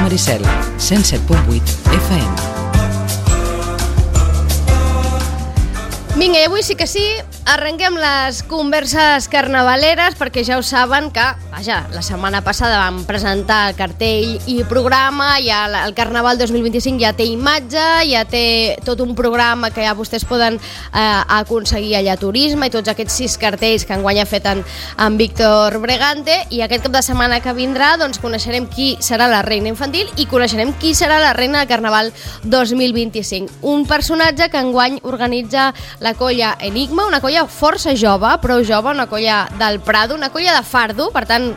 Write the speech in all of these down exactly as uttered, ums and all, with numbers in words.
Maricel, cent set punt vuit F M. Vinga, i avui sí que sí, arrenquem les converses carnavaleres, perquè ja ho saben que, vaja, la setmana passada vam presentar el cartell i programa, ja el Carnaval dos mil vint-i-cinc ja té imatge, ja té tot un programa que ja vostès poden eh, aconseguir allà a Turisme, i tots aquests sis cartells que enguany ha fet en, en Víctor Bregante, i aquest cap de setmana que vindrà doncs coneixerem qui serà la reina infantil i coneixerem qui serà la reina del Carnaval dos mil vint-i-cinc. Un personatge que enguany organitza la colla Enigma, una colla força jove, prou jove, una colla del Prado, una colla de fardo, per tant,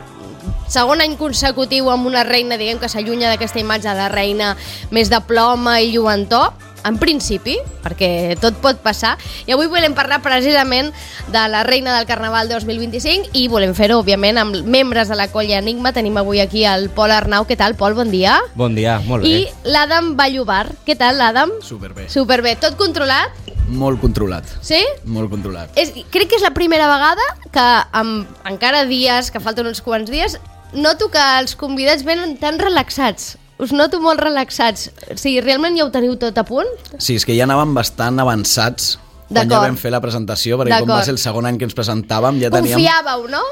segon any consecutiu amb una reina, diguem que s'allunya d'aquesta imatge de la reina més de ploma i lluentor, en principi, perquè tot pot passar, i avui volem parlar precisament de la reina del Carnaval dos mil vint-i-cinc i volem fer-ho, òbviament, amb membres de la colla Enigma. Tenim avui aquí el Pol Arnau. Què tal, Pol? Bon dia. Bon dia, molt bé. I l'Adam Vallobar. Què tal, l'Adam? Superbé. Superbé. Tot controlat? Molt controlat. Sí? Molt controlat. És, crec que és la primera vegada que, amb encara dies, que falten uns quants dies, noto que els convidats venen tan relaxats. Us noto molt relaxats. O sigui, realment ja ho teniu tot a punt? Sí, és que ja anàvem bastant avançats quan ja vam fer la presentació, perquè com va ser el segon any que ens presentàvem ja teníem... Confiàveu, no?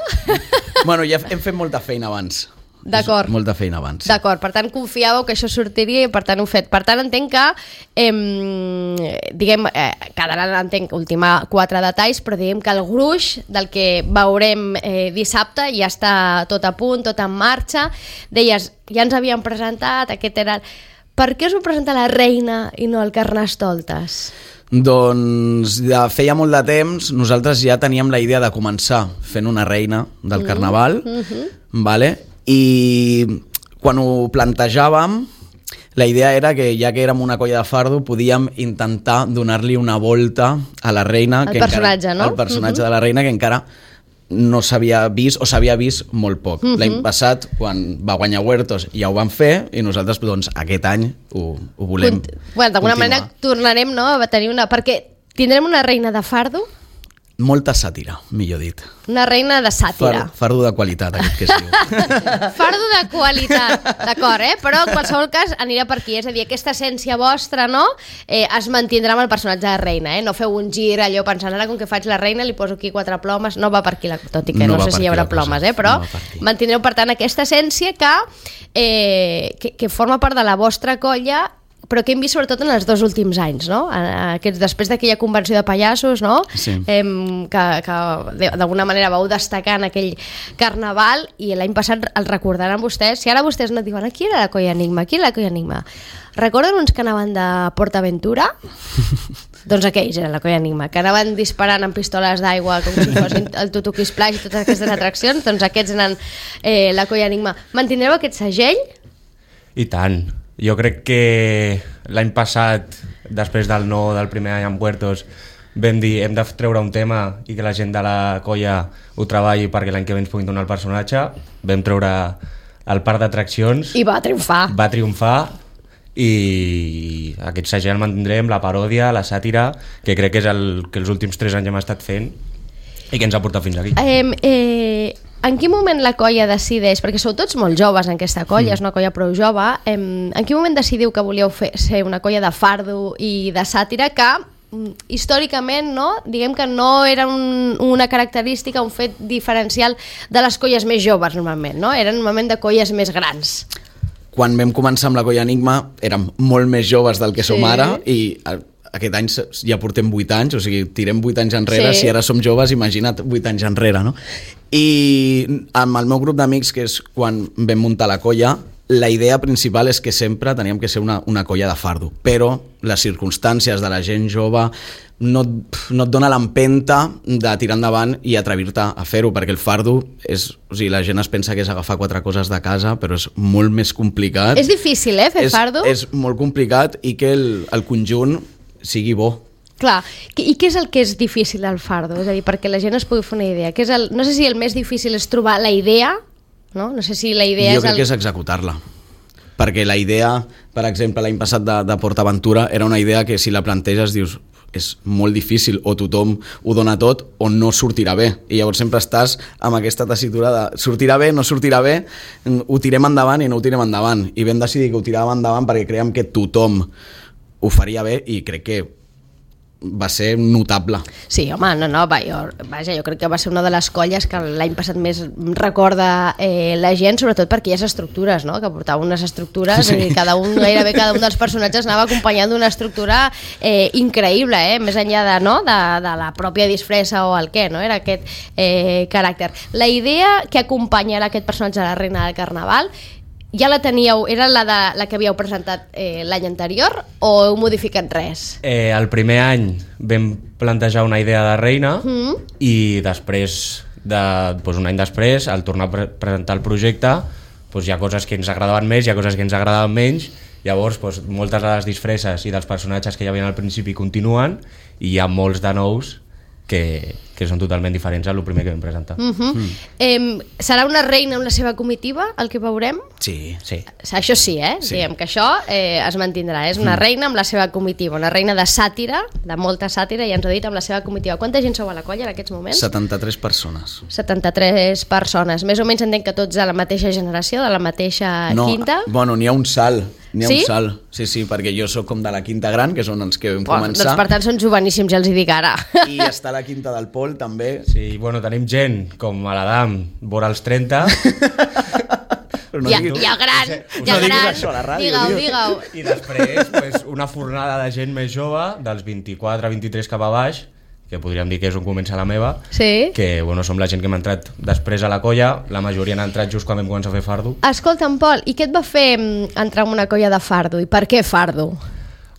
Bueno, ja hem fet molta feina abans. D'acord. Molta feina abans. D'acord, per tant confiàveu que això sortiria i per tant ho fet. Per tant entenc que eh, diguem, eh, quedaran, entenc, ultimar quatre detalls, però diguem que el gruix del que veurem eh, dissabte ja està tot a punt, tot en marxa. Deies, ja ens havíem presentat, aquest era... Per què us ho presenta la reina i no el Carnestoltes? Doncs ja feia molt de temps, nosaltres ja teníem la idea de començar fent una reina del Carnaval, mm-hmm. vale? I quan ho plantejàvem, la idea era que ja que érem una colla de fardo podíem intentar donar-li una volta a la reina, el que personatge, encara, no? el personatge uh-huh. de la reina, que encara no s'havia vist o s'havia vist molt poc. Uh-huh. L'any passat, quan va guanyar Huertos, ja ho vam fer i nosaltres doncs, aquest any ho, ho volem Cont- bueno, d'alguna continuar. manera tornarem, no, a tenir una... Perquè tindrem una reina de fardo? Molta sàtira, millor dit. Una reina de sàtira. Far, fardo de qualitat, aquest que es diu. Fardo de qualitat, d'acord, eh? Però en qualsevol cas anirà per aquí, és a dir, aquesta essència vostra, no? Eh, es mantindrà amb el personatge de reina, eh? No feu un gir allò pensant, ara com que faig la reina li poso aquí quatre plomes, no va per aquí, la, tot i que no, no sé si hi haurà plomes, eh? Però no mantindreu per tant aquesta essència que, eh, que, que forma part de la vostra colla, però que hem vist sobretot en els dos últims anys, no? Aquests, després d'aquella convenció de pallassos, no? Sí. Eh, que, que d'alguna manera vau destacar en aquell carnaval i l'any passat el recordaran vostès. Si ara vostès no diuen, qui era la colla Enigma? Qui era la colla Enigma? Recorden uns que anaven de PortAventura? Doncs aquells eren la colla Enigma, que anaven disparant amb pistoles d'aigua com si fossin el Tutuki Splash i totes aquestes atraccions, doncs aquests eren eh, la colla Enigma. Mantindreu aquest segell? I tant. Jo crec que l'any passat, després del no del primer any amb Huertos, vam dir hem de treure un tema i que la gent de la colla ho treballi perquè l'any que ve ens puguin donar el personatge. Vam treure el parc d'atraccions. I va triomfar. Va triomfar i aquest segell el mantindrem, la paròdia, la sàtira, que crec que és el que els últims tres anys hem estat fent i que ens ha portat fins aquí. Eh, eh, en quin moment la colla decideix, perquè sou tots molt joves en aquesta colla, mm. és una colla prou jove, eh, en quin moment decidiu que volíeu fer, ser una colla de fardo i de sàtira que històricament, no? Diguem que no era un, una característica, un fet diferencial de les colles més joves normalment, no? Eren normalment de colles més grans. Quan vam començar amb la colla Enigma érem molt més joves del que sí. som ara i aquest any ja portem vuit anys, o sigui, tirem vuit anys enrere, sí. si ara som joves, imagina't vuit anys enrere, no? I amb el meu grup d'amics, que és quan vam muntar la colla, la idea principal és que sempre teníem que ser una, una colla de fardo, però les circumstàncies de la gent jove no, no et dona l'empenta de tirar endavant i atrevir-te a fer-ho, perquè el fardo és, o sigui, la gent es pensa que és agafar quatre coses de casa, però és molt més complicat. És difícil, eh, fer és, fardo? És molt complicat i que el, el conjunt sigui bo. Clar, i què és el que és difícil del fardo? És a dir, perquè la gent es pugui fer una idea. Què és el, no sé si el més difícil és trobar la idea, no? No sé si la idea jo és... crec el... que és executar-la. Perquè la idea, per exemple, l'any passat de, de PortAventura era una idea que si la planteges dius és molt difícil, o tothom ho dona tot o no sortirà bé, i llavors sempre estàs amb aquesta tessitura de sortirà bé, no sortirà bé, ho tirem endavant i no ho tirem endavant, i vam decidir que ho tiràvem endavant perquè creiem que tothom ho faria bé i crec que va ser notable. Sí, home, no, no, va, jo, vaja, jo crec que va ser una de les colles que l'any passat més recorda eh, la gent, sobretot per aquelles estructures, no?, que portava unes estructures, sí. I cada un, gairebé cada un dels personatges anava acompanyant d'una estructura eh, increïble, eh, més enllà de, no, de, de la pròpia disfressa o el què, no?, era aquest eh, caràcter. La idea que acompanyarà aquest personatge de la Reina del Carnaval ja la teníeu, era la, de, la que havíeu presentat eh, l'any anterior o heu modificat res? Eh, el primer any vam plantejar una idea de reina mm. i després, de, doncs un any després, al tornar a pre presentar el projecte, doncs hi ha coses que ens agradaven més, hi ha coses que ens agradaven menys, llavors doncs, moltes de les disfresses i dels personatges que hi havia al principi continuen i hi ha molts de nous que, que són totalment diferents al primer que vam presentar. Uh -huh. mm. eh, serà una reina amb la seva comitiva, el que veurem? Sí. sí. Això sí, eh? Sí. Diguem que això eh, es mantindrà. És una mm. reina amb la seva comitiva, una reina de sàtira, de molta sàtira, i ens ha dit amb la seva comitiva. Quanta gent sou a la colla en aquests moments? setanta-tres persones. setanta-tres persones. Més o menys entenc que tots de la mateixa generació, de la mateixa no, quinta? Bueno, n'hi ha un salt. N'hi ha sí? un salt, sí, sí, perquè jo sóc com de la quinta gran, que són els que vam Bueno, començar. doncs per tant són joveníssims, ja els hi dic ara. I està la quinta del Pol, també. Sí, bueno, tenim gent com a l'Adam, vora els trenta. No ja, ja gran, us ja no gran, això a la ràdio, digue-ho, tio. digue-ho. I després pues, una fornada de gent més jove, dels vint-i-quatre a vint-i-tres cap a baix, que podríem dir que és on comença la meva, sí? que bueno, som la gent que hem entrat després a la colla, la majoria han entrat just quan vam començar a fer fardo. Escolta'm, Pol, i què et va fer entrar en una colla de fardo? I per què fardo?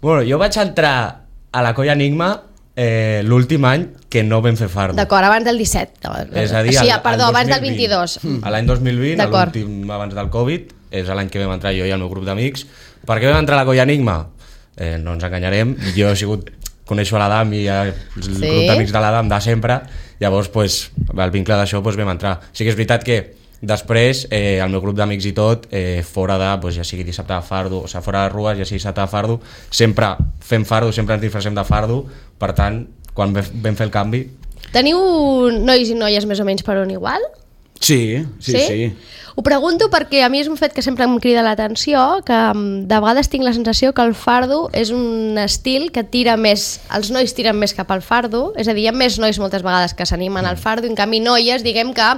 Bueno, jo vaig entrar a la colla Enigma eh, l'últim any que no vam fer fardo. D'acord, abans del disset. És a dir, sí, al, perdó, al abans del vint-i-dos. A l'any dos mil vint, l'últim abans del Covid, és l'any que vam entrar jo i el meu grup d'amics. Per què vam entrar a la colla Enigma? Eh, no ens enganyarem, jo he sigut... coneixo a l'Adam i el sí. grup d'amics de l'Adam de sempre, llavors pues, el vincle d'això pues, vam entrar. Sí que és veritat que després eh, el meu grup d'amics i tot, eh, fora de, pues, ja sigui dissabte de fardo, o sigui, fora de rues, ja sigui dissabte de fardo, sempre fem fardo, sempre ens disfressem de fardo, per tant, quan vam fer el canvi... Teniu nois i noies més o menys per on igual? Sí, sí, sí, sí. Ho pregunto perquè a mi és un fet que sempre em crida l'atenció, que de vegades tinc la sensació que el fardo és un estil que tira més, els nois tiren més cap al fardo, és a dir, hi ha més nois moltes vegades que s'animen al fardo, en canvi noies, diguem que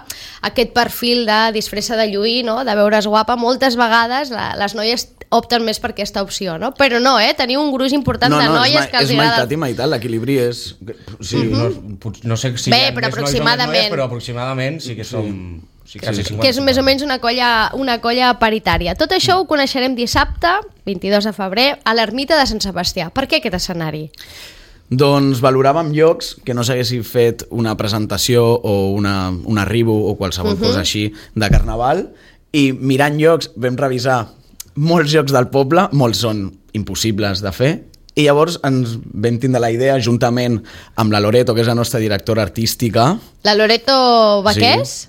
aquest perfil de disfressa de lluir, no? De veure's guapa, moltes vegades la, les noies opten més per aquesta opció, no? Però no, eh? Teniu un gruix important no, de no, noies que els és agrada... meitat i meitat, l'equilibri és... Sí, uh -huh. no, no sé si Bé, hi ha però més nois o més noies, però aproximadament sí que som... Sí. Sí, quasi cinquanta. Que és més o menys una colla, una colla paritària. Tot això ho coneixerem dissabte, vint-i-dos de febrer, a l'Ermita de Sant Sebastià. Per què aquest escenari? Doncs valoràvem llocs que no s'haguessin fet una presentació o una, una ribu o qualsevol uh -huh. cosa així de carnaval, i mirant llocs vam revisar molts llocs del poble, molts són impossibles de fer, i llavors ens vam tindre la idea, juntament amb la Loreto, que és la nostra directora artística. La Loreto Baqués? Sí.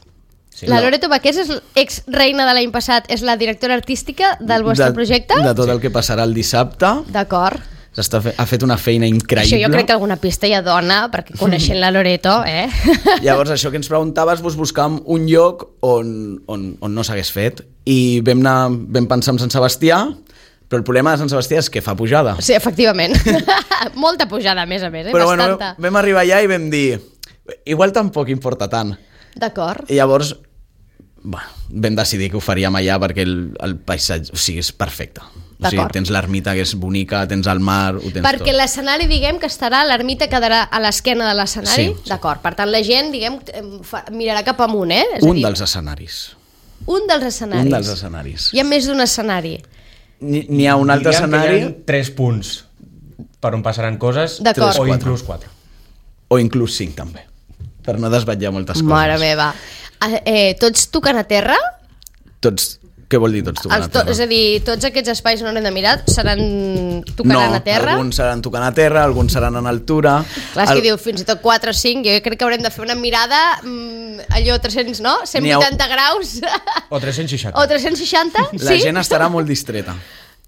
Sí, la no. Loreto Baqués és ex-reina de l'any passat, és la directora artística del vostre de, projecte? De tot el que passarà el dissabte. D'acord. Fe, ha fet una feina increïble. Això jo crec que alguna pista ja dona, perquè coneixent la Loreto, eh? Llavors, això que ens preguntaves, doncs buscàvem un lloc on, on, on no s'hagués fet, i vam, anar, vam pensar en Sant Sebastià, però el problema de Sant Sebastià és que fa pujada. Sí, efectivament. Molta pujada, a més a més, eh? Però Bastanta. bueno, vam arribar allà i vam dir, igual tampoc importa tant. D'acord. I llavors, bueno, vam decidir que ho faríem allà perquè el, el paisatge, o sigui, és perfecte. O sigui, tens l'ermita, que és bonica, tens el mar, ho tens perquè tot. l'escenari, diguem, que estarà, l'ermita quedarà a l'esquena de l'escenari, sí, sí. D'acord. Per tant, la gent, diguem, fa, mirarà cap amunt, eh? És un a dir, dels escenaris. Un dels escenaris. Un dels escenaris. Hi ha més d'un escenari. N'hi ha un altre Diríem escenari... que hi ha tres punts per on passaran coses, D'acord. o inclús quatre. O inclús cinc, també, per no desvetllar moltes coses. Mare meva. Eh, tots tocant a terra? Tots... Què vol dir tots tocant Els a to terra? és a dir, tots aquests espais on haurem de mirar seran tocaran no, a terra? alguns seran tocant a terra, alguns seran en altura... Clar, és el... que diu fins i tot quatre o cinc, jo crec que haurem de fer una mirada mmm, allò tres-cents, no? cent vuitanta graus O tres-cents seixanta. o tres-cents seixanta, La sí? gent estarà molt distreta.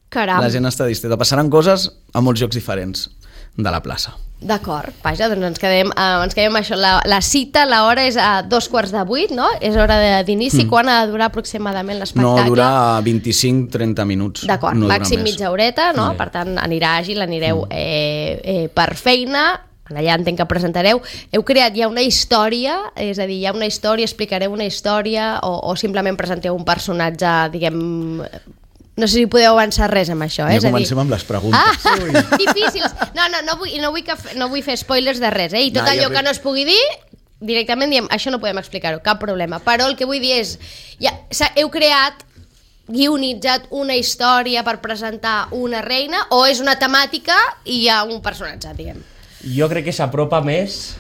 Caram. La gent està distreta. Passaran coses a molts llocs diferents. de la plaça. D'acord, vaja, doncs ens quedem, eh, ens quedem això. La, la cita, l'hora és a dos quarts de vuit, no? És hora d'inici. Mm. Quan ha de durar aproximadament l'espectacle? No, dura vint-i-cinc a trenta minuts. D'acord, no màxim mitja horeta, no? Sí. Per tant, anirà àgil, anireu mm. eh, eh, per feina. Allà entenc que presentareu. Heu creat ja una història, és a dir, hi ha una història, explicareu una història o, o simplement presenteu un personatge, diguem... No sé si podeu avançar res amb això, eh? Ja comencem dir... amb les preguntes. Ah, Ui. Difícils. No, no, no vull, no, vull que, no vull fer spoilers de res, eh? I tot no, allò que no es pugui dir, directament diem, això no podem explicar-ho, cap problema. Però el que vull dir és, ja, heu creat, guionitzat una història per presentar una reina o és una temàtica i hi ha un personatge, diguem? Jo crec que s'apropa més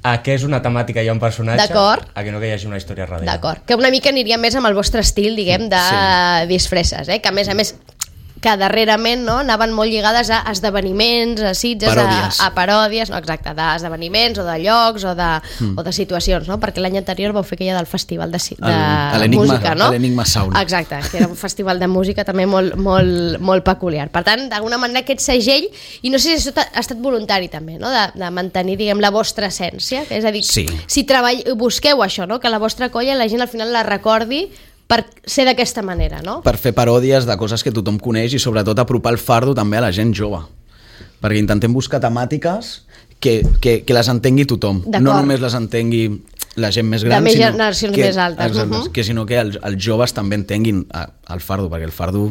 a què és una temàtica i un personatge, a que no que hi hagi una història darrere. D'acord, que una mica aniria més amb el vostre estil, diguem, de sí. disfresses, eh? Que a més a més que darrerament no, anaven molt lligades a esdeveniments, a sitges, paròdies. A, a paròdies, no, exacte, d'esdeveniments o de llocs o de, mm. o de situacions, no? Perquè l'any anterior vau fer aquella del festival de, de el, música, no? L'Enigma Sound. Exacte, que era un festival de música també molt, molt, molt peculiar. Per tant, d'alguna manera aquest segell, i no sé si això ha estat voluntari també, no? de, de mantenir, diguem, la vostra essència, que és a dir, sí. si treball, busqueu això, no? Que la vostra colla la gent al final la recordi per ser d'aquesta manera, no? Per fer paròdies de coses que tothom coneix i sobretot apropar el fardo també a la gent jove. Perquè intentem buscar temàtiques que, que, que les entengui tothom. No només les entengui la gent més gran, de més sinó generacions que, més altes. Exacte, uh-huh. que sinó que els, els joves també entenguin el fardo, perquè el fardo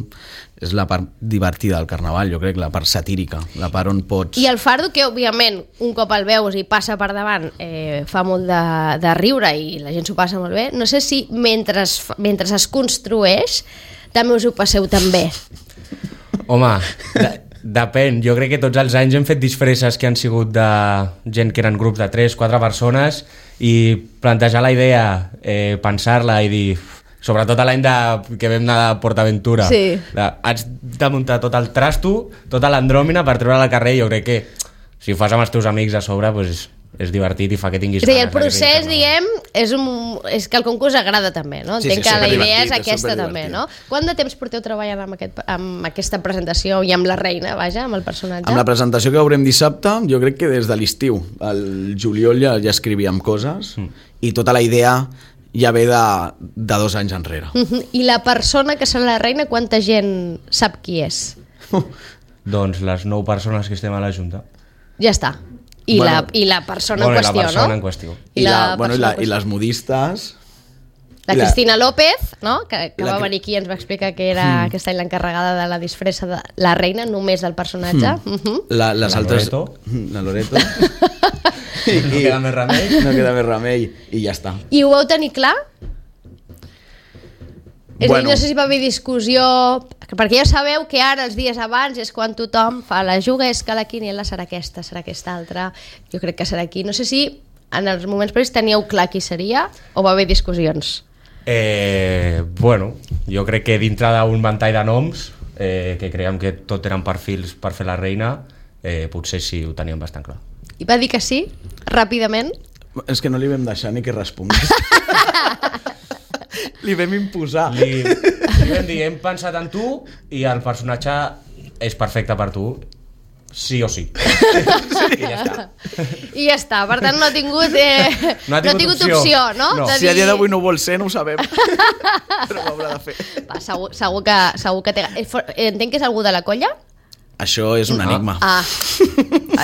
és la part divertida del carnaval, jo crec, la part satírica, la part on pots... I el fardo, que òbviament un cop el veus i passa per davant, eh, fa molt de, de riure i la gent s'ho passa molt bé, no sé si mentre es, mentre es construeix també us ho passeu tan bé. Home, de, depèn, jo crec que tots els anys hem fet disfresses que han sigut de gent que eren grups de tres, quatre persones i plantejar la idea, eh, pensar-la i dir... Sobretot l'any de, que vam anar a PortAventura. Sí. De, haig de muntar tot el trasto, tota l'andròmina per treure-la al carrer. Jo crec que si ho fas amb els teus amics a sobre, pues, és divertit i fa que tinguis... Sí, el procés, diguem, és, un, és que el concurs agrada també, no? Sí, Entenc sí, que la idea divertit, és aquesta és també, no? Quant de temps porteu treballant amb, aquest, amb aquesta presentació i amb la reina, vaja, amb el personatge? Amb la presentació que veurem dissabte, jo crec que des de l'estiu. Al juliol ja, ja escrivíem coses mm. i tota la idea... ja ve de, de dos anys enrere. Uh-huh. I la persona que serà la reina, quanta gent sap qui és? Uh. Doncs les nou persones que estem a la Junta. Ja està. I, bueno, la, i la persona bueno, en qüestió, la persona no? En qüestió. I, la, la, bueno, i, la, i les modistes... La Cristina López, no? que, que la... va venir aquí i ens va explicar que era mm. aquest any l'encarregada de la disfressa de la reina, només del personatge. Mm. Uh-huh. la, les la altres... Loreto. La Loreto. I, no queda més remei. No queda més remei i ja està. I ho vau tenir clar? És bueno. a dir, no sé si va haver discussió, perquè ja sabeu que ara, els dies abans, és quan tothom fa la juga, és que la quiniela serà aquesta, serà aquesta altra, jo crec que serà aquí. No sé si en els moments previs teníeu clar qui seria o va haver discussions? Eh, bueno, jo crec que dintre d'un ventall de noms, eh, que creiem que tot eren perfils per fer la reina, eh, potser sí ho teníem bastant clar. I va dir que sí, ràpidament? És que no li vam deixar ni que respongués. Li vam imposar. Li, li vam dir, hem pensat en tu i el personatge és perfecte per tu, sí o sí. I ja està. I ja està, per tant no ha tingut, eh, no ha tingut, no ha tingut opció. opció, no? no. De si a dia d'avui no ho vol ser, no ho sabem. Però ho haurà de fer. Va, segur, segur que, segur que té... Entenc que és algú de la colla? Això és un no. enigma. Ah,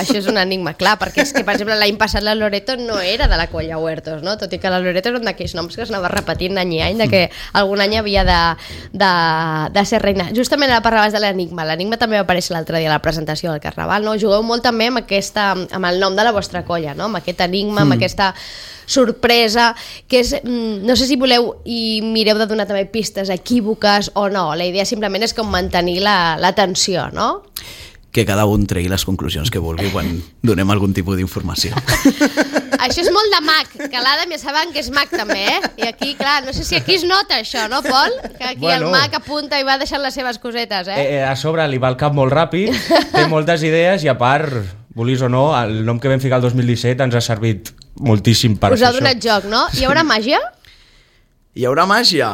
això és un enigma, clar, perquè és que, per exemple, l'any passat la Loreto no era de la colla Huertos, no? Tot i que la Loreto era un d'aquells noms que es anava repetint any i any, de que algun any havia de, de, de ser reina. Justament ara parlaves de l'enigma. L'enigma també va aparèixer l'altre dia a la presentació del Carnaval, no? Jugueu molt també amb, aquesta, amb el nom de la vostra colla, no? Amb aquest enigma, amb mm. aquesta sorpresa, que és, no sé si voleu i mireu de donar també pistes equívoques o no, la idea simplement és com mantenir la, la tensió, no? Que cada un tregui les conclusions que vulgui quan donem algun tipus d'informació. Això és molt de mag, que l'Adam ja saben que és mag també, eh? I aquí, clar, no sé si aquí es nota això, no, Pol? Que aquí bueno, el mag apunta i va deixant les seves cosetes, eh? eh? A sobre li va el cap molt ràpid, té moltes idees i a part, vulguis o no, el nom que vam ficar el dos mil disset ens ha servit moltíssim per Us ha donat joc, no? Hi haurà màgia? Hi haurà màgia?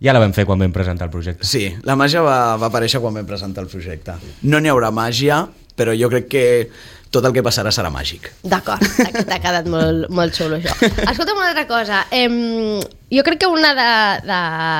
ja la vam fer quan vam presentar el projecte. Sí, la màgia va, va aparèixer quan vam presentar el projecte. No n'hi haurà màgia, però jo crec que tot el que passarà serà màgic. D'acord, t'ha quedat molt, molt xulo això. Escolta'm una altra cosa, eh, jo crec que una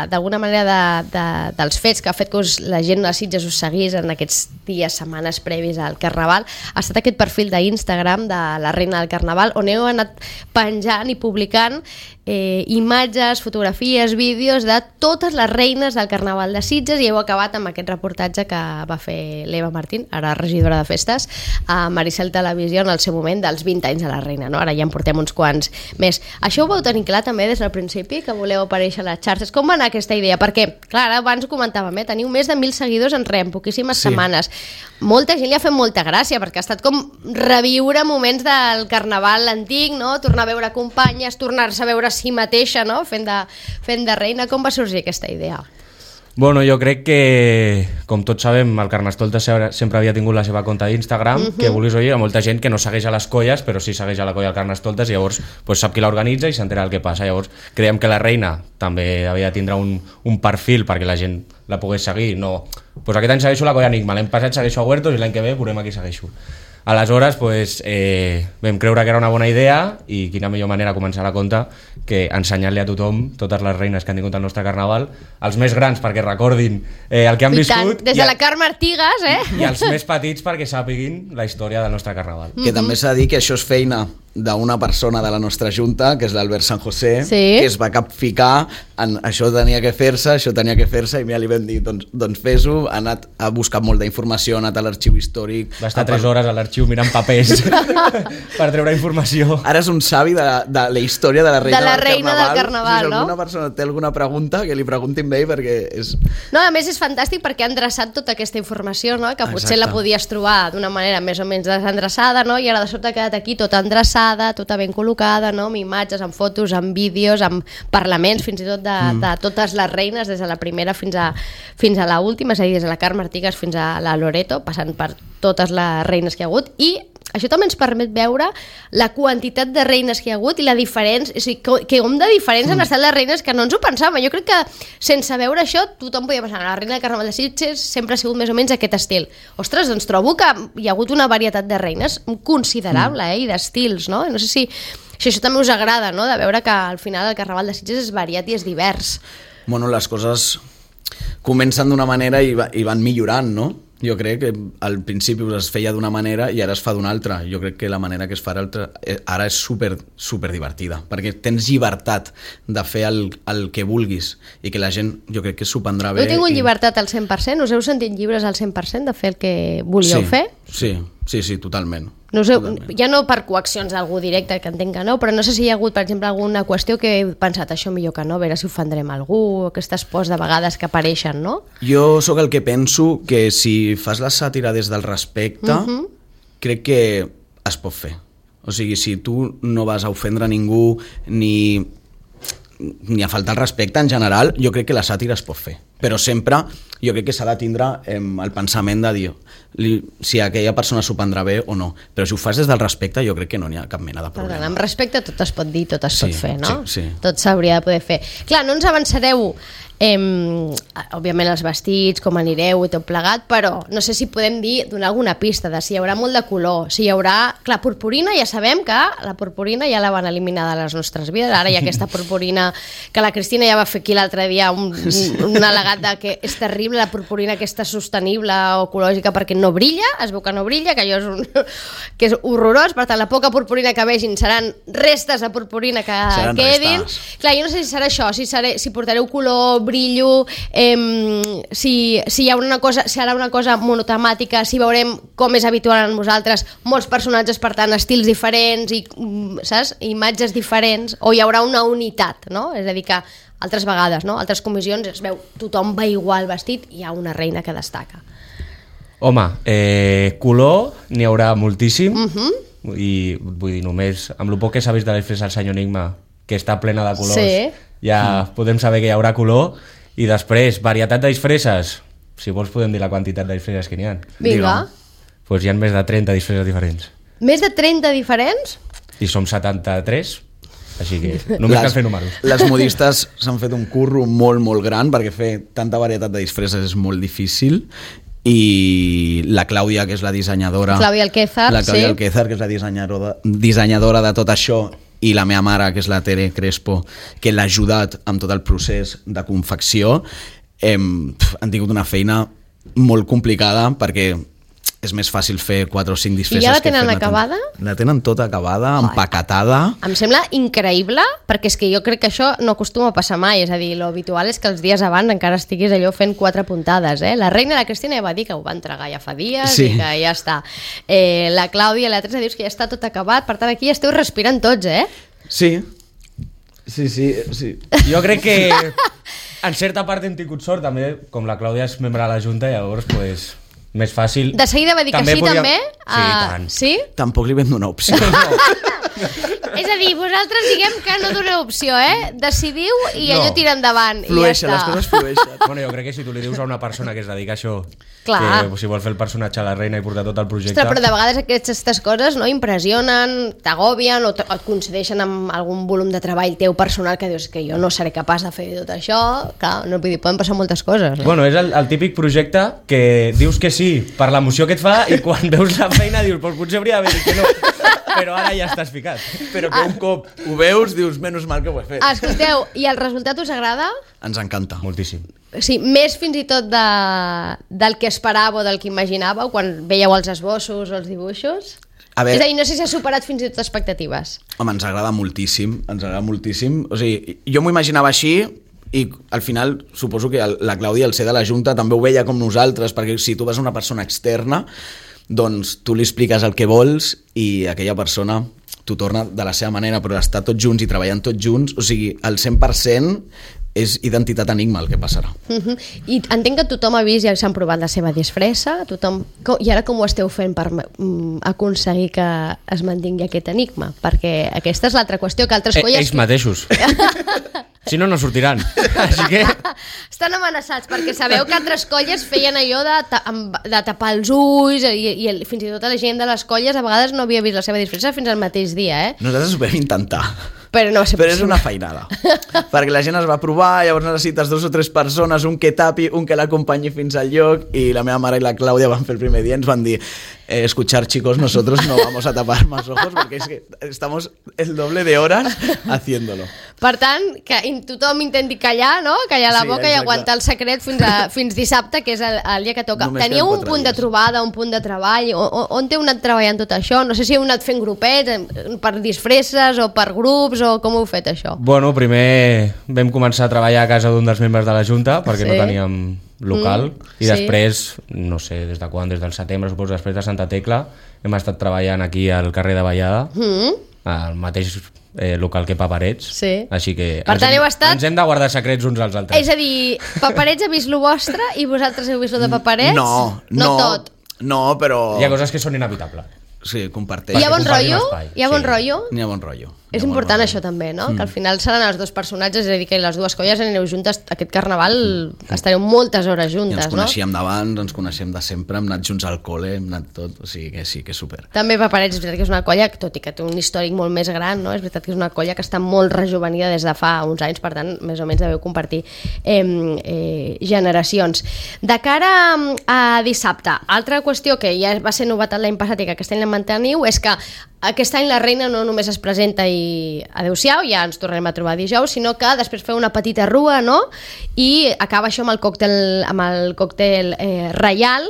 d'alguna manera de, de, dels fets que ha fet que us, la gent de Sitges us seguís en aquests dies, setmanes previs al Carnaval ha estat aquest perfil d'Instagram de la Reina del Carnaval, on heu anat penjant i publicant eh, imatges, fotografies, vídeos de totes les reines del Carnaval de Sitges, i heu acabat amb aquest reportatge que va fer l'Eva Martín, ara regidora de festes, a Maricel Televisió en el seu moment dels vint anys de la reina, no? Ara ja en portem uns quants més. Això ho vau tenir clar també des del principi, que voleu aparèixer a les xarxes? Com va anar aquesta idea? Perquè, clar, abans ho comentàvem, eh? Teniu més de mil seguidors en res, en poquíssimes sí. setmanes. Molta gent li ha fet molta gràcia, perquè ha estat com reviure moments del Carnaval antic, no? Tornar a veure companyes, tornar-se a veure a si mateixa, no? Fent de, fent de reina. Com va sorgir aquesta idea? Bueno, jo crec que, com tots sabem, el Carnestoltes sempre havia tingut la seva compte d'Instagram, uh-huh. que vulguis oir, hi ha molta gent que no segueix a les colles, però sí segueix a la colla del Carnestoltes, i llavors pues, sap qui l'organitza i s'entera del que passa. Llavors creiem que la reina també havia de tindre un, un perfil perquè la gent la pogués seguir. No, pues aquest any segueixo la colla Enigma, l'any passat segueixo a Huertos i l'any que ve veurem a qui segueixo. Aleshores, pues, eh, vam creure que era una bona idea, i quina millor manera de començar la compte que ensenyar-li a tothom totes les reines que han tingut el nostre Carnaval, els més grans perquè recordin eh, el que han I viscut, tant, des de la Carme Artigas, eh? i els més petits perquè sàpiguin la història del nostre Carnaval. Que mm-hmm. també s'ha de dir que això és feina d'una persona de la nostra junta, que és l'Albert San José, sí. que es va capficar en això tenia que fer-se, això tenia que fer-se, i ja li vam dir, doncs, doncs fes-ho. Ha anat a buscar molta informació, ha anat a l'arxiu històric. Va estar tres hores a l'arxiu mirant papers per treure informació. Ara és un savi de, de la història de la reina, de la del, reina carnaval. del Carnaval, si no? alguna persona té alguna pregunta, que li preguntin bé, perquè és... No, a més és fantàstic perquè han dreçat tota aquesta informació, no? Que potser Exacte. la podies trobar d'una manera més o menys desendreçada, no? I ara de sobte ha quedat aquí tota endreçada, tota ben col·locada, no? Amb imatges, amb fotos, amb vídeos, amb parlaments, fins i tot de, mm. de totes les reines, des de la primera fins a, fins a l'última, és a dir, des de la Carme Artigas fins a la Loreto, passant per totes les reines que hi ha hagut, i això també ens permet veure la quantitat de reines que hi ha hagut i la diferència, o sigui, que com de diferents mm. han estat les reines que no ens ho pensàvem. Jo crec que sense veure això tothom podia pensar, la reina del Carnaval de Sitges sempre ha sigut més o menys aquest estil. Ostres, doncs trobo que hi ha hagut una varietat de reines considerable, eh, i d'estils, no? No sé si, si això també us agrada, no?, de veure que al final el Carnaval de Sitges és variat i és divers. Bueno, les coses comencen d'una manera i, va, i van millorant, no? Jo crec que al principi es feia d'una manera i ara es fa d'una altra. Jo crec que la manera que es fa altra, ara és super, super divertida, perquè tens llibertat de fer el, el que vulguis i que la gent, jo crec que s'ho prendrà bé. Heu tingut i... llibertat al cent per cent? Us heu sentit lliures al cent per cent de fer el que volíeu sí, fer? Sí, sí, sí, totalment. No sé, totalment. Ja no per coaccions d'algú directe, que entenc que no, però no sé si hi ha hagut, per exemple, alguna qüestió que he pensat això millor que no, a veure si ofendrem algú, aquestes pors de vegades que apareixen, no? Jo sóc el que penso que si fas la sàtira des del respecte, uh-huh. crec que es pot fer. O sigui, si tu no vas a ofendre ningú ni, ni a faltar el respecte en general, jo crec que la sàtira es pot fer. Però sempre jo crec que s'ha de tindre eh, el pensament de dir li, si aquella persona s'ho prendrà bé o no. Però si ho fas des del respecte, jo crec que no n'hi ha cap mena de problema. Perdona, amb respecte tot es pot dir, tot es sí, pot fer, no? Sí, sí. Tot s'hauria de poder fer. Clar, no ens avançareu eh, òbviament els vestits, com anireu i tot plegat, però no sé si podem dir, donar alguna pista de si hi haurà molt de color, si hi haurà... Clar, purpurina, ja sabem que la purpurina ja la van eliminar de les nostres vides, ara hi ha aquesta purpurina que la Cristina ja va fer aquí l'altre dia un, un al·legat de que és terrible la purpurina aquesta sostenible o ecològica perquè no brilla, es veu que no brilla, que allò és, un, que és horrorós, per tant la poca purpurina que vegin seran restes de purpurina que seran quedin. restes. Clar, jo no sé si serà això, si, seré, si portareu color, brillo, eh, si, si hi haurà una cosa, si serà una cosa monotemàtica, si veurem com és habitual en vosaltres, molts personatges, per tant, estils diferents i, saps, imatges diferents, o hi haurà una unitat, no? És a dir, que altres vegades, no? Altres comissions es veu, tothom va igual vestit i hi ha una reina que destaca. Home, eh, color n'hi haurà moltíssim, Uh-huh. i vull dir, només amb el poc que s'ha vist de la disfressa del senyor Enigma, que està plena de colors, Sí. ja mm. podem saber que hi haurà color. I després, varietat de disfresses, si vols podem dir la quantitat de disfresses que n'hi ha. Vinga. Pues hi ha més de trenta disfresses diferents. Més de trenta diferents? I som setanta-tres. Així que només cal fer números. Les modistes s'han fet un curro molt, molt gran, perquè fer tanta varietat de disfresses és molt difícil, i la Clàudia, que és la dissenyadora... Clàudia Alquézar, la Clàudia sí. Alquézar, que és la dissenyadora, dissenyadora de tot això, i la meva mare, que és la Tere Crespo, que l'ha ajudat amb tot el procés de confecció, hem, han tingut una feina molt complicada, perquè és més fàcil fer quatre o cinc disfresses. I ja la que tenen fer-ne acabada? Tant. La tenen tota acabada, Ai. empaquetada. Em sembla increïble, perquè és que jo crec que això no acostuma a passar mai, és a dir, lo habitual és que els dies abans encara estiguis allò fent quatre puntades, eh? La reina, la Cristina ja va dir que ho va entregar ja fa dies, sí. I que ja està. Eh, la Clàudia i la Teresa dius que ja està tot acabat, per tant aquí ja esteu respirant tots, eh? Sí, sí, sí, sí. Jo crec que en certa part hem tingut sort, també, com la Clàudia és membre de la Junta, llavors, pues, més fàcil. De seguida va dir també que sí, podíem... també? Sí, uh, tant. Sí? Tampoc li vam donar opció. És a dir, vosaltres diguem que no doneu opció, eh? Decidiu i no. allò tira endavant. Flueixen, i ja les coses flueixen. Bueno, jo crec que si tu li dius a una persona que es dedica a això, Clar. que si vol fer el personatge a la reina i portar tot el projecte... Ostres, però de vegades aquestes coses no impressionen, t'agobien o, o et coincideixen amb algun volum de treball teu personal que dius que jo no seré capaç de fer tot això. Clar, no, vull dir, poden passar moltes coses. Eh? Bueno, és el, el típic projecte que dius que sí per l'emoció que et fa i quan veus la feina dius, pues potser hauria d'haver dit que no. Però ara ja estàs ficat. Però que un cop ho veus, dius, menys mal que ho he fet. Escolteu, i el resultat us agrada? Ens encanta. Moltíssim. Sí, més fins i tot de, del que esperàveu o del que imaginàveu quan veieu els esbossos o els dibuixos? A veure, és a dir, no sé si ha superat fins i tot expectatives. Home, ens agrada moltíssim, ens agrada moltíssim. O sigui, jo m'ho imaginava així i al final suposo que la Clàudia, al ser de la Junta, també ho veia com nosaltres, perquè si tu vas a una persona externa, doncs tu li expliques el que vols i aquella persona t'ho torna de la seva manera, però estar tots junts i treballant tots junts, o sigui, el cent per cent és identitat enigma el que passarà. Uh-huh. I entenc que tothom ha vist i s'han provat la seva disfressa, tothom... I ara com ho esteu fent per um, aconseguir que es mantingui aquest enigma? Perquè aquesta és l'altra qüestió, que altres eh, colles... Ells mateixos. Si no, no sortiran. Així que... Estan amenaçats, perquè sabeu que altres colles feien allò de, ta de tapar els ulls i, i el, fins i tot la gent de les colles a vegades no havia vist la seva disfressa fins al mateix dia, eh? Nosaltres ho vam intentar. Però, no Però és una feinada. Perquè la gent es va provar, llavors necessites dos o tres persones, un que tapi, un que l'acompanyi fins al lloc, i la meva mare i la Clàudia van fer el primer dia, ens van dir eh, escuchar chicos, nosotros no vamos a tapar más ojos porque es que estamos el doble de horas haciéndolo. Per tant, que tothom intenti callar, no? Callar la Sí, boca exacte. i aguantar el secret fins, a, fins dissabte, que és el, el dia que toca. Només Teníeu queden un quatre punt de dies. trobada, un punt de treball? O, o, on heu anat treballant tot això? No sé si heu anat fent grupets, eh, per disfresses o per grups, o com heu fet això? Bueno, primer vam començar a treballar a casa d'un dels membres de la Junta, perquè Sí. no teníem local, Mm, i sí. després, no sé, des de quan, des del setembre, suposo, després de Santa Tecla, hem estat treballant aquí al carrer de Vallada, Mm? al mateix eh, local que Paperets, Sí. així que Per ens, tant, hem, heu estat- ens hem de guardar secrets uns als altres. És a dir, Paperets ha vist lo vostre i vosaltres heu vist lo de Paperets? No, no, no, tot. no, però... Hi ha coses que són inevitables. Sí, comparteix. Hi ha bon compartim rotllo? espai, Hi ha bon sí. rotllo? N'hi ha bon rotllo. És N'hi ha bon important rotllo. això també, no? Mm. Que al final seran els dos personatges, és a dir, que les dues colles aneu juntes, aquest carnaval mm. estareu moltes hores I juntes, ens no? coneixíem d'abans, ens coneixem de sempre, hem anat junts al col·le, hem anat tot, o sigui que sí, que és super. També Paperets, és veritat que és una colla, tot i que té un històric molt més gran, no? És veritat que és una colla que està molt rejuvenida des de fa uns anys, per tant, més o menys deveu compartir eh, eh, generacions. De cara a dissabte, altra qüestió que ja va ser novetat l'any passat i que aquest any la manteniu és que aquest any la reina no només es presenta i adeu-siau, ja ens tornarem a trobar dijous, sinó que després feu una petita rua, no? I acaba això amb el còctel, amb el còctel eh, reial,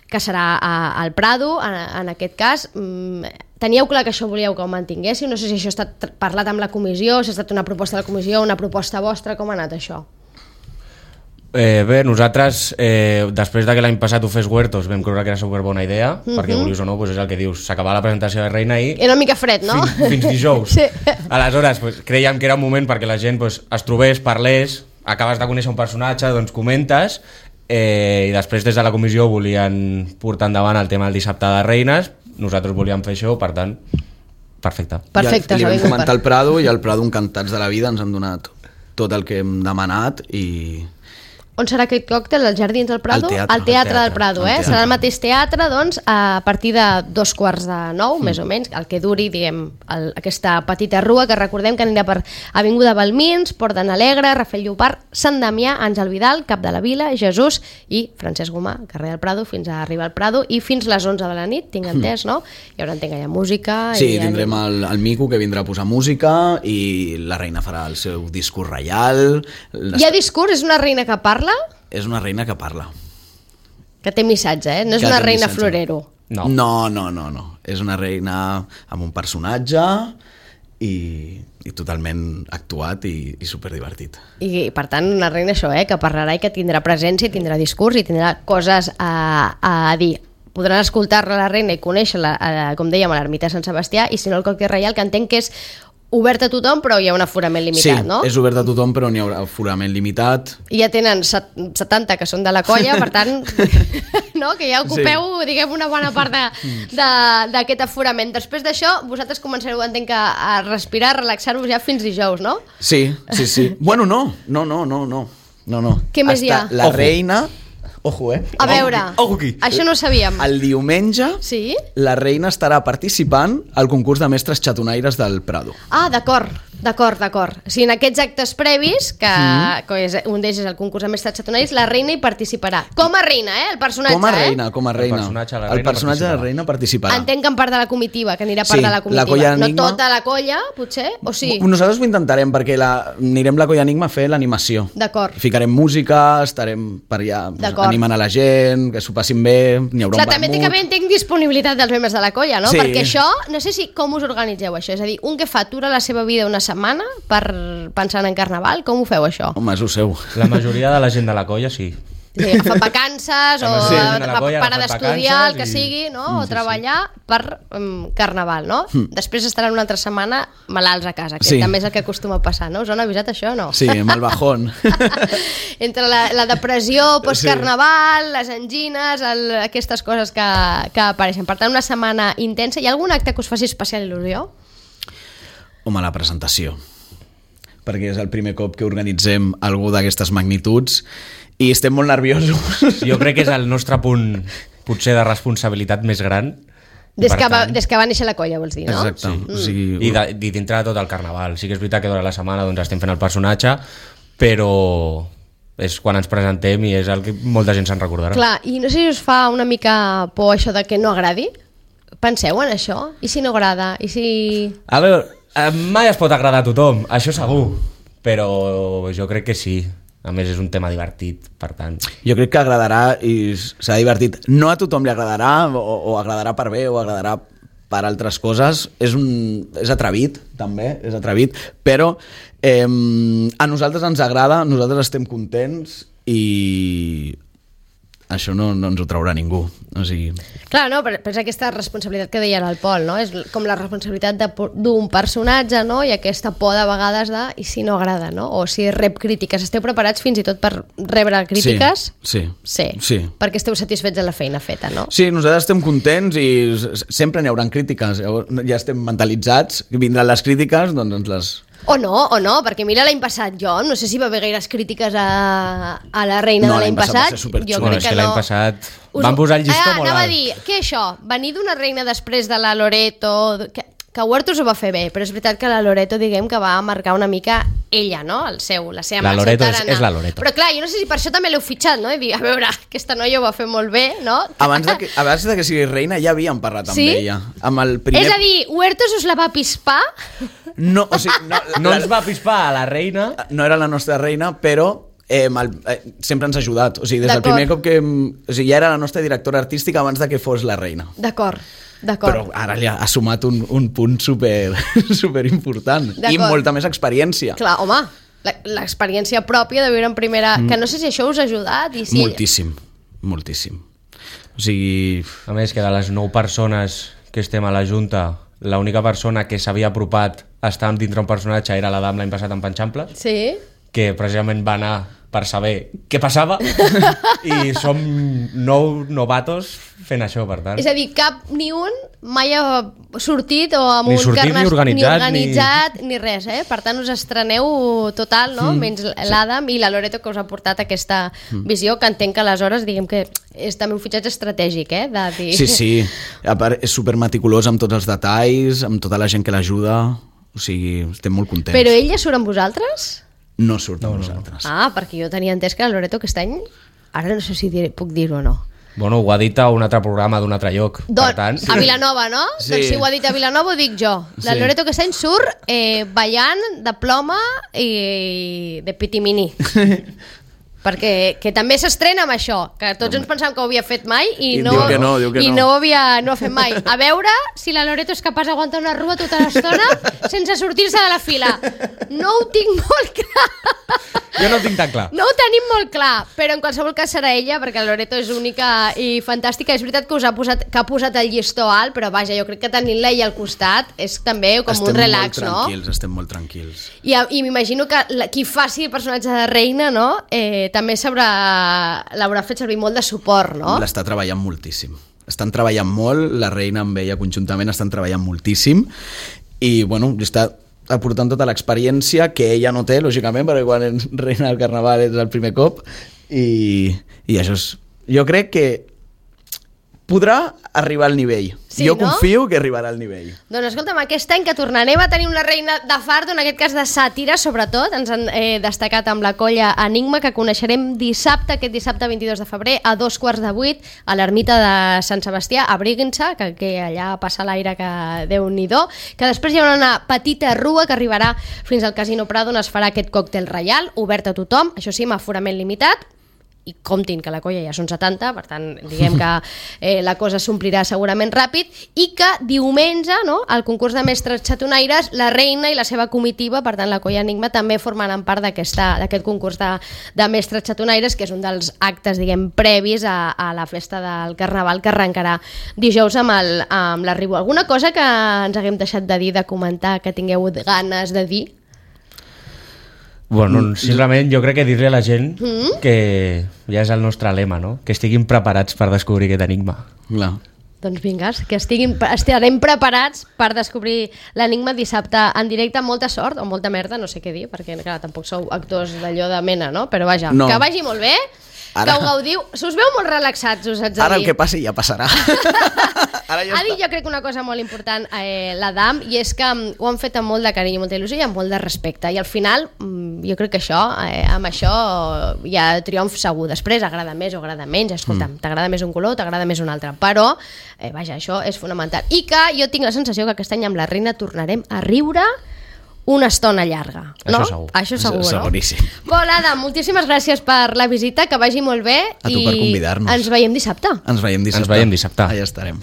que serà a, al Prado, en, en aquest cas. Mm, teníeu clar que això volíeu que ho mantinguéssiu? No sé si això ha estat parlat amb la comissió, si ha estat una proposta de la comissió, una proposta vostra, com ha anat això? Eh, bé, nosaltres, eh, després de que l'any passat ho fes Huertos, vam creure que era superbona idea, mm -hmm. perquè vulguis o no, pues és el que dius, s'acabava la presentació de Reina i... Era una mica fred, no? Fins, fins dijous. Sí. Aleshores, pues, creiem que era un moment perquè la gent pues, es trobés, parlés, acabes de conèixer un personatge, doncs comentes, eh, i després des de la comissió volien portar endavant el tema del dissabte de Reines, nosaltres volíem fer això, per tant, perfecte. Perfecte, I li s'ha vam vingut comentar per- al Prado i al Prado encantats de la vida ens han donat tot el que hem demanat i... On serà aquest còctel? Als Jardins del Prado? Al teatre. Al teatre, Al del Prado, eh? teatre. Serà el mateix teatre, doncs, a partir de dos quarts de nou, mm. més o menys, el que duri, diguem, el, aquesta petita rua, que recordem que anirà per Avinguda Balmins, Port de n'Alegre, Rafael Llopart, Sant Damià, Àngel Vidal, Cap de la Vila, Jesús i Francesc Gomà, carrer del Prado, fins a arribar al Prado, i fins les onze de la nit, tinc entès, no? Hi haurà, entenc, allà música... Sí, i tindrem el, el Mico, que vindrà a posar música, i la reina farà el seu discurs reial. Les... Hi ha discurs? És una reina que parla? És una reina que parla. Que té missatge, eh? No és Que una té reina missatge. florero. No. no, no, no, no. És una reina amb un personatge i, i totalment actuat i, i superdivertit. I, per tant, una reina això, eh? Que parlarà i que tindrà presència, i tindrà discurs i tindrà coses a, a dir. Podran escoltar-la la reina i conèixer-la, a, com dèiem, a l'ermita de Sant Sebastià, i si no el còctel reial, que entenc que és obert a tothom, però hi ha un aforament limitat, sí, no? és obert a tothom, però n'hi haurà aforament limitat. I ja tenen set- setanta que són de la colla, per tant, no? Que ja ocupeu, sí. diguem, una bona part de- de- d'aquest aforament. Després d'això, vosaltres començareu, entenc, a, a respirar, a relaxar-vos ja fins dijous, no? Sí, sí, sí. Bueno, no, no, no, no, no. no, no. Què més hi ha? La Ojo. reina... Ojo, eh? A veure, Ojo aquí. això no ho sabíem. El diumenge Sí? la reina estarà participant al concurs de mestres xatonaires del Prado. Ah, d'acord, d'acord, d'acord. O sigui, en aquests actes previs, que, mm. que és, un d'ells és el concurs de mestres xatonaires, la reina hi participarà. Com a reina, eh? El personatge, Com a eh? reina, com a reina. El personatge de la El reina personatge de la participarà. reina participarà. Entenc que en part de la comitiva, que anirà part Sí, de la la comitiva. colla No Enigma. tota la colla, potser? O sí? Nosaltres ho intentarem, perquè la, anirem la Colla Enigma a fer l'animació. D'acord. Ficarem música, estarem per allà doncs, D'acord. animant a la gent, que s'ho passin bé, n'hi haurà Clar, un també té vermut. que haver, entenc, disponibilitat dels membres de la colla, no? Sí. Perquè això, no sé si com us organitzeu això, és a dir, un que fa atura la seva vida una setmana per pensar en carnaval, com ho feu això? Home, és ho seu. La majoria de la gent de la colla, sí. Sí, agafar vacances o La majoria de la colla ha para agafat d'estudiar, el que vacances i- sigui, no? Mm, O sí, treballar per um, carnaval, no? Després estaran una altra setmana malalts a casa, que Sí. també és el que acostuma a passar, no? Us han avisat això o no? Sí, amb el bajón. Entre la, la depressió postcarnaval, les angines, el, aquestes coses que, que apareixen. Per tant, una setmana intensa. Hi ha algun acte que us faci especial il·lusió? Home, la presentació. Perquè és el primer cop que organitzem algú d'aquestes magnituds i estem molt nerviosos. Jo crec que és el nostre punt, potser, de responsabilitat més gran. I, Des per que, va, tant, des que va néixer la colla, vols dir, no? Exacte. Sí. O sigui, I, de, i dintre de tot el carnaval. Sí que és veritat que durant la setmana doncs, estem fent el personatge, però és quan ens presentem i és el que molta gent se'n recordarà. Clar, i no sé si us fa una mica por això de que no agradi? Penseu en això? I si no agrada? I si... A veure, eh, mai es pot agradar a tothom, això segur, però jo crec que sí. A més, és un tema divertit, per tant... jo crec que agradarà i serà divertit. No a tothom li agradarà, o, o agradarà per bé, o agradarà per altres coses. És, un, és atrevit, també, és atrevit, però eh, a nosaltres ens agrada, nosaltres estem contents i això no, no ens ho traurà ningú. O sigui... Clar, no, però és aquesta responsabilitat que deia el Pol, no? És com la responsabilitat de- d'un personatge, no? I aquesta por de vegades de i si no agrada, no? O si rep crítiques. Esteu preparats fins i tot per rebre crítiques? Sí, Sí. sí. Perquè esteu satisfets de la feina feta, no? Sí, nosaltres estem contents i s- sempre n'hi haurà crítiques. Llavors, ja estem mentalitzats, vindran les crítiques, doncs ens les... O no, o no, perquè mira l'any passat jo, no sé si va haver gaires crítiques a, a la reina No, de l'any l'any passat va passat. ser superxulo. Jo Bueno, crec és que que l'any no. passat Us- van posar el llistó ah, molt anava alt. a dir, què és això? Venir d'una reina després de la Loreto... Que, que Huertos ho va fer bé, però és veritat que la Loreto, diguem, que va marcar una mica ella, no? El seu, la seva La el seu Loreto és- tarannà. és la Loreto. Però clar, jo no sé si per això també l'heu fitxat, no? I dir, a veure, aquesta noia ho va fer molt bé, no? Abans de que, abans de que sigui reina ja havíem parlat amb Sí? ella. Amb el primer... És a dir, Huertos us la va pispar? No, o sigui, no, No la- ens va pispar a la reina... no era la nostra reina, però eh, el, eh, sempre ens ha ajudat. O sigui, des del D'acord. primer cop que... O sigui, ja era la nostra directora artística abans de que fos la reina. D'acord, Però d'acord. ara li ha, ha sumat un, un punt super, super important. I D'acord. molta més experiència. Clar, home, la- l'experiència pròpia de viure en primera... Mm. Que no sé si això us ha ajudat i si... Moltíssim, moltíssim. O sigui... A més, que de les nou persones que estem a la Junta, l'única persona que s'havia apropat a estar dintre un personatge era la Dam l'any passat en Panxample, Sí? que precisament va anar per saber què passava i som nou novatos fent això, per tant. És a dir, cap ni un mai ha sortit o amb Ni un sortit, carnes, ni organitzat, ni, organitzat ni... ni res, eh? Per tant, us estreneu total, no? Mm, Menys l'Adam sí. i la Loreto, que us ha portat aquesta mm. visió, que entenc que aleshores, diguem que és també un fitxatge estratègic, eh? De dir... Sí, sí. A part, és supermeticulós amb tots els detalls, amb tota la gent que l'ajuda. O sigui, estem molt contents. Però ell ja surt amb vosaltres? No surt amb no, nosaltres. Ah, perquè jo tenia entès que la Loreto aquest any... Ara no sé si dir, puc dir-ho o no. Bueno, ho ha dit a un altre programa d'un altre lloc. Don, per tant... A Vilanova, no? Sí. Doncs si ho ha dit a Vilanova ho dic jo. La Sí. Loreto aquest any surt eh, ballant de ploma i de pitimini. Perquè que també s'estrena amb això, que tots ens pensàvem que ho havia fet mai i, I no, diu que no, diu que i no. no ho havia no ho ha fet mai. A veure si la Loreto és capaç d'aguantar una rua tota l'estona sense sortir-se de la fila. No ho tinc molt clar. Jo no ho tinc tan clar. No ho tenim molt clar, però en qualsevol cas serà ella, perquè la Loreto és única i fantàstica. És veritat que us ha posat, que ha posat el llistó alt, però vaja, jo crec que tenint-la ella al costat és també com estem un relax, molt no? tranquils, estem molt tranquils. I, i m'imagino que la, qui faci el personatge de reina, no? Eh, també s'haurà l'haurà fet servir molt de suport, no? L'està treballant moltíssim. Estan treballant molt, la reina amb ella conjuntament estan treballant moltíssim i, bueno, està aportant tota l'experiència que ella no té, lògicament, perquè quan ets reina del carnaval és el primer cop i, i això és... Jo crec que podrà arribar al nivell. Sí, jo no? confio que arribarà al nivell. Doncs escolta'm, aquest any que tornarem a tenir una reina de fardo, en aquest cas de sàtira, sobretot, ens han eh, destacat amb la colla Enigma, que coneixerem dissabte, aquest dissabte vint-i-dos de febrer, a dos quarts de vuit, a l'ermita de Sant Sebastià, abriguin-se, que, que allà passa l'aire que Déu-n'hi-do, que després hi haurà una petita rua que arribarà fins al Casino Prado, on es farà aquest còctel reial, obert a tothom, això sí, amb aforament limitat, i comptin que la colla ja són setanta, per tant, diguem que eh, la cosa s'omplirà segurament ràpid, i que diumenge, no, al concurs de mestres xatonaires, la reina i la seva comitiva, per tant, la colla Enigma, també formaran part d'aquest concurs de, de mestres xatonaires, que és un dels actes, diguem, previs a, a la festa del Carnaval, que arrencarà dijous amb el- amb l'arribo. Alguna cosa que ens haguem deixat de dir, de comentar, que tingueu ganes de dir? Bueno, simplement jo crec que dir-li a la gent Mm? que ja és el nostre lema, no? Que estiguin preparats per descobrir aquest enigma. Clar. Doncs vinga, que estiguin, estarem preparats per descobrir l'enigma dissabte en directe, amb molta sort o molta merda, no sé què dir, perquè clar, tampoc sou actors d'allò de mena, no? Però vaja, No. que vagi molt bé, Ara- que ho gaudiu. Us veu molt relaxats, us haig de Ara dir. el que passi ja passarà. Ara ja Ha dit està. jo crec una cosa molt important eh, l'Adam, i és que mm, ho han fet amb molt de carinyo, molta il·lusió i amb molt de respecte, i al final mm, jo crec que això, eh, amb això hi ha triomf segur. Després agrada més o agrada menys, escolta'm, mm. t'agrada més un color, t'agrada més un altre, però eh, vaja, això és fonamental, i que jo tinc la sensació que aquest any amb la reina tornarem a riure una estona llarga, no? Això segur. Això segur, no? Seguríssim. Bon, Adam, moltíssimes gràcies per la visita, que vagi molt bé. A tu per convidar-nos. Ens veiem dissabte. Ens veiem dissabte. Ens veiem dissabte. Allà estarem.